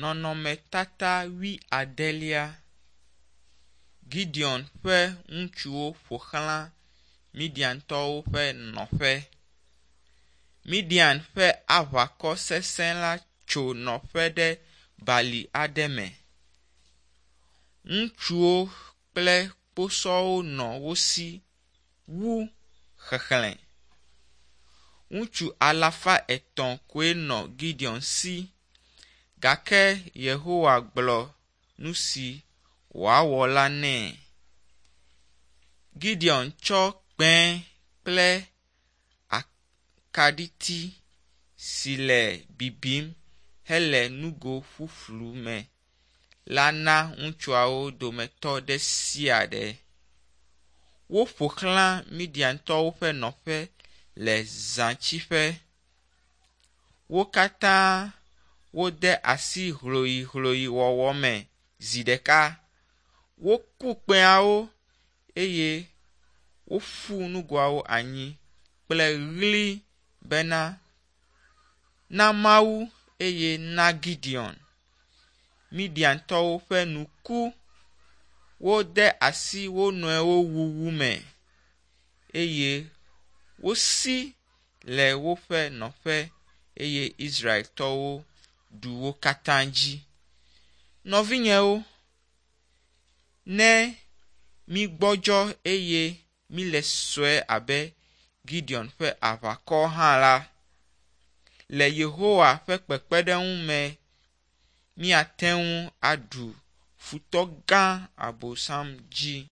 Nɔnɔmetata wuiadelia. Gideon ƒe ŋutsuwo ƒoxlã Midiantɔwo ƒe nɔƒe. Midian ƒe aʋakɔ sesẽ la tso nɔƒe ɖe bali aɖe me. Ŋutsuwo kple kposɔwo nɔ wo si wu xexlẽ. Ŋutsu alafa etɔ̃ koe nɔ Gideon si gake Yehowa gblɔ nu si wòawɔ la nɛ. Gideon tsɔ kpẽ kple akaɖiti si le bibim hele nugo ƒuƒlu me la na ŋutsuawo dometɔ ɖe sia ɖe. Woƒo xlã Midiantɔwo ƒe nɔƒe le zãtsiƒe. Wo katã wode asi hloihloiwɔwɔ me zi ɖeka. Woku kpẽawo eye woƒu nugoawo anyi kple ɣli bena, Na Mawu eye na Gideon. Midiantɔwo ƒe nu ku. Wode asi wo nɔewo wuwu me eye wosi le woƒe nɔƒe eye Israeltɔwo ɖu wo katã dzi. Nɔvinyewo, ne mígbɔdzɔ eye míle sue abe Gideon ƒe aʋakɔ hã la, le Yehowa ƒe kpekpeɖeŋu me míate ŋu aɖu futɔ gã Abosam dzi.